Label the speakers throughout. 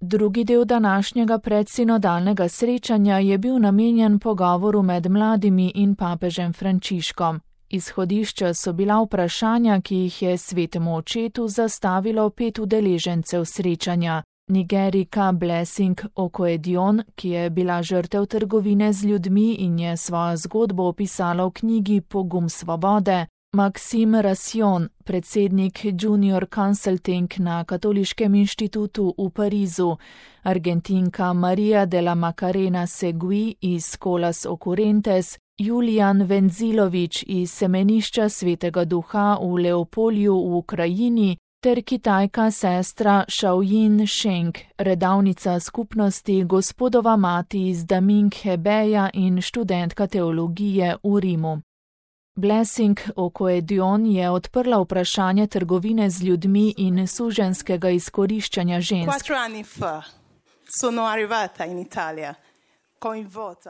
Speaker 1: Drugi del današnjega predsinodalnega srečanja je bil namenjen pogovoru med mladimi in papežem Frančiškom. Izhodišča so bila vprašanja, ki jih je svetemu očetu zastavilo 5 udeležencev srečanja. Nigerika Blessing Okoedion, ki je bila žrtev trgovine z ljudmi in je svojo zgodbo opisala v knjigi Pogum svobode, Maxime Rassion, predsednik Junior Consulting na Katoliškem inštitutu v Parizu, Argentinka Maria de la Macarena Segui iz Colas Occurrentes, Julian Venzilovič iz Semenišča Svetega Duha v Leopolju v Ukrajini ter Kitajka sestra Shaoyin Sheng, redavnica skupnosti Gospodova mati iz Daming Hebeja in študentka teologije v Rimu. Blessing Okoedion je odprla vprašanje trgovine z ljudmi in suženjskega izkoriščanja žensk.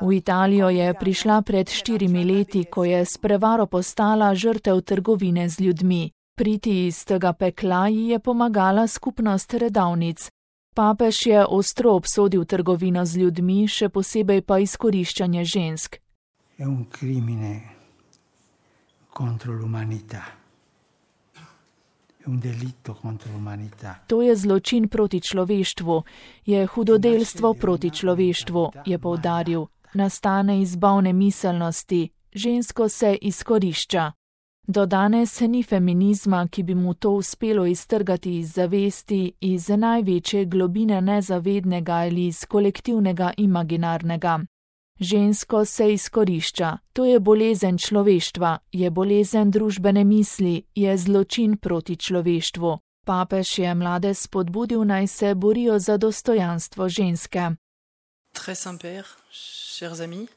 Speaker 1: V Italijo je prišla pred 4 leti, ko je s prevaro postala žrtev trgovine z ljudmi. Priti iz tega pekla ji je pomagala skupnost redavnic. Papež je ostro obsodil trgovino z ljudmi, še posebej pa izkoriščanje žensk. To je zločin proti človeštvu, je hudodelstvo proti človeštvu, je poudaril. Nastane iz bolne miselnosti, žensko se izkorišča. Do danes ni feminizma, ki bi mu to uspelo iztrgati iz zavesti, iz največje globine nezavednega ali iz kolektivnega imaginarnega. Žensko se izkorišča, to je bolezen človeštva, je bolezen družbene misli, je zločin proti človeštvu. Papež je mlade spodbudil, naj se borijo za dostojanstvo ženske.
Speaker 2: Très Saint-Père, chers amis,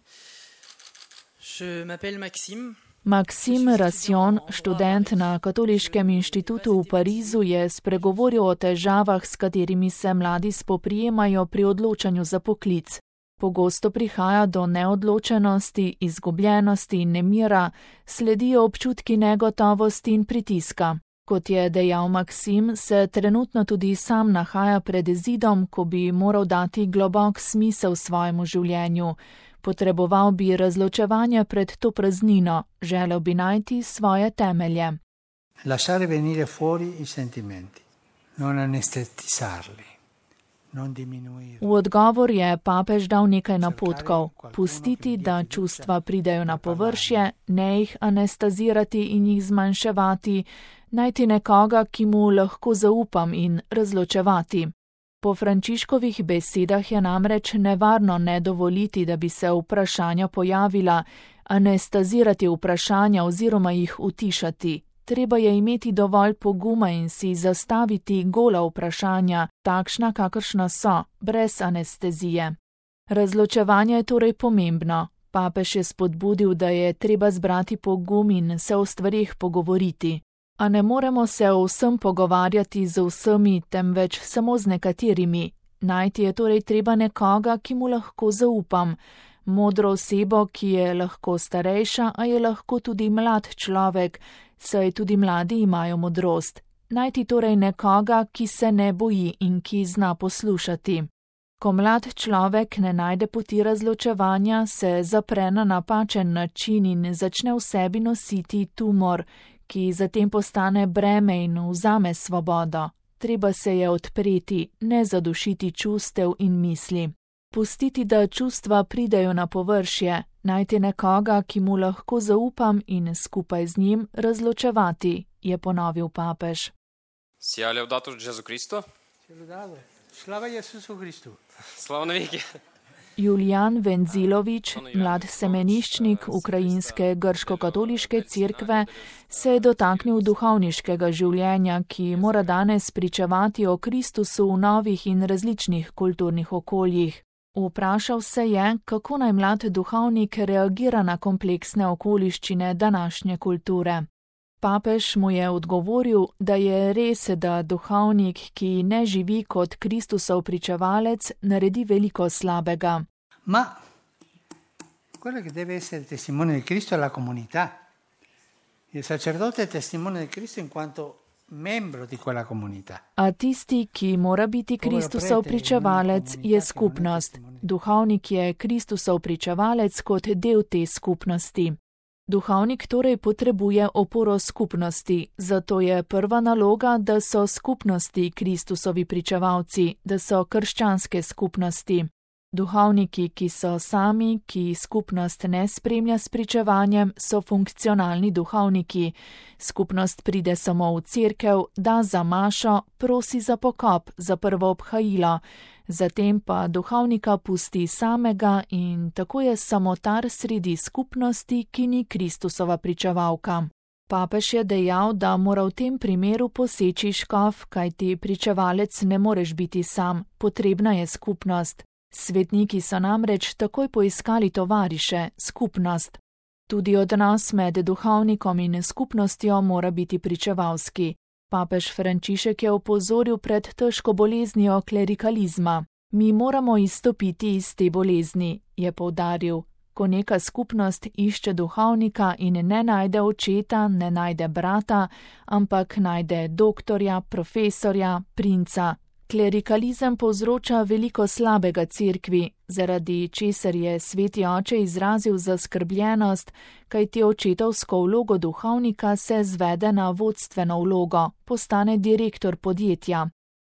Speaker 2: je m'appelle Maxime.
Speaker 1: Maxime Rassion, študent na Katoliškem inštitutu v Parizu, je spregovoril o težavah, s katerimi se mladi spoprijemajo pri odločanju za poklic. Pogosto prihaja do neodločenosti, izgubljenosti in nemira, sledijo občutki negotovosti in pritiska. Kot je dejal Maxim, se trenutno tudi sam nahaja pred zidom, ko bi moral dati globok smisel svojemu življenju. Potreboval bi razločevanja pred to praznino, želel bi najti svoje temelje.
Speaker 3: Lasciare venire fuori I sentimenti, non anestetizzarli.
Speaker 1: V odgovor je papež dal nekaj napotkov. Pustiti, da čustva pridejo na površje, ne jih anestezirati in jih zmanjševati, najti nekoga, ki mu lahko zaupam in razločevati. Po Frančiškovih besedah je namreč nevarno ne dovoliti, da bi se vprašanja pojavila, anestezirati vprašanja oziroma jih utišati. Treba je imeti dovolj poguma in si zastaviti gola vprašanja, takšna kakršna so, brez anestezije. Razločevanje je torej pomembno. Papež je spodbudil, da je treba zbrati pogum in se o stvarih pogovoriti. A ne moremo se o vsem pogovarjati z vsemi, temveč samo z nekaterimi. Najti je torej treba nekoga, ki mu lahko zaupam. Modro osebo, ki je lahko starejša, a je lahko tudi mlad človek, saj tudi mladi imajo modrost. Najti torej nekoga, ki se ne boji in ki zna poslušati. Ko mlad človek ne najde poti razločevanja, se zapre na napačen način in začne v sebi nositi tumor, ki zatem postane breme in vzame svobodo. Treba se je odpreti, ne zadušiti čustev in misli. Pustiti, da čustva pridejo na površje, najti nekoga, ki mu lahko zaupam in skupaj z njim razločevati, je ponovil papež.
Speaker 4: Sia laudato Gesù Cristo.
Speaker 3: Slava Jesusu Kristu.
Speaker 4: Slava naviki.
Speaker 1: Julian Venzilovič, mlad semeniščnik ukrajinske grško-katoliške cerkve, se je dotaknil duhovniškega življenja, ki mora danes pričevati o Kristusu v novih in različnih kulturnih okoljih. Vprašal se je, kako naj mlad duhovnik reagira na kompleksne okoliščine današnje kulture. Papež mu je odgovoril, da je res, da duhovnik, ki ne živi kot Kristusov pričevalec, naredi veliko slabega.
Speaker 3: Ma quello che deve essere testimone di Cristo è la comunità. Il sacerdote è testimone di Cristo in quanto membro di quella comunità.
Speaker 1: A tisti, ki mora biti Kristusov pričevalec, je skupnost. Duhovnik je Kristusov pričevalec kot del te skupnosti. Duhovnik torej potrebuje oporo skupnosti, zato je prva naloga, da so skupnosti Kristusovi pričevalci, da so krščanske skupnosti. Duhovniki, ki so sami, ki skupnost ne spremlja s pričevanjem, so funkcionalni duhovniki. Skupnost pride samo v cerkev, da za mašo, prosi za pokop, za prvo obhajilo, zatem pa duhovnika pusti samega in tako je samotar sredi skupnosti, ki ni Kristusova pričevalka. Papež je dejal, da mora v tem primeru poseči škof, kajti pričevalec ne moreš biti sam, potrebna je skupnost. Svetniki so namreč takoj poiskali tovariše, skupnost. Tudi odnos med duhovnikom in skupnostjo mora biti pričevalski. Papež Frančišek je opozoril pred težko boleznijo klerikalizma. Mi moramo izstopiti iz te bolezni, je poudaril. Ko neka skupnost išče duhovnika in ne najde očeta, ne najde brata, ampak najde doktorja, profesorja, princa. Klerikalizem povzroča veliko slabega cerkvi, zaradi česar je sveti oče izrazil zaskrbljenost, kajti očetovsko vlogo duhovnika se zvede na vodstveno vlogo, postane direktor podjetja.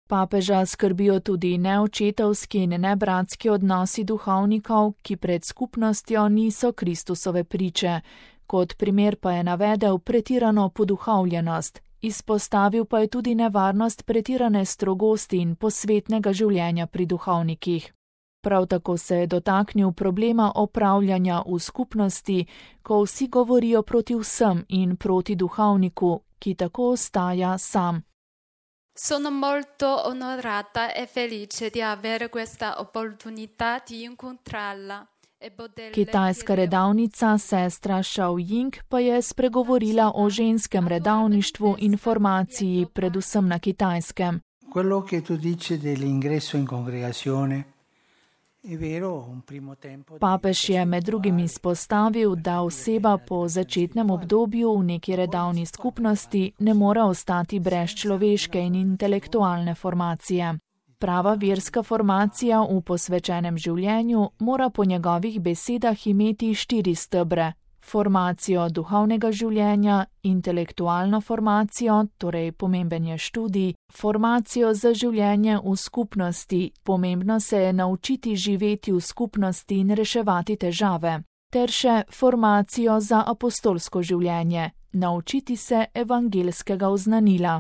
Speaker 1: Papeža skrbijo tudi neočetovski in nebratski odnosi duhovnikov, ki pred skupnostjo niso Kristusove priče, kot primer pa je navedel pretirano poduhovljenost. Izpostavil pa je tudi nevarnost pretirane strogosti in posvetnega življenja pri duhovnikih. Prav tako se je dotaknil problema opravljanja v skupnosti, ko vsi govorijo proti vsem in proti duhovniku, ki tako ostaja sam.
Speaker 5: Sono molto onorata e felice di avere questa opportunità di incontrarla.
Speaker 1: Kitajska redavnica sestra Shao Ying pa je spregovorila o ženskem redavništvu in formaciji, predvsem na Kitajskem.
Speaker 3: Quello che tu dici dell'ingresso in congregazione è vero, un primo tempo.
Speaker 1: Papež je med drugim izpostavil, da oseba po začetnem obdobju v neki redavni skupnosti ne more ostati brez človeške in intelektualne formacije. Prava verska formacija v posvečenem življenju mora po njegovih besedah imeti 4 stebre. Formacijo duhovnega življenja, intelektualno formacijo, torej pomemben je študij, formacijo za življenje v skupnosti, pomembno se je naučiti živeti v skupnosti in reševati težave, ter še formacijo za apostolsko življenje, naučiti se evangelskega oznanila.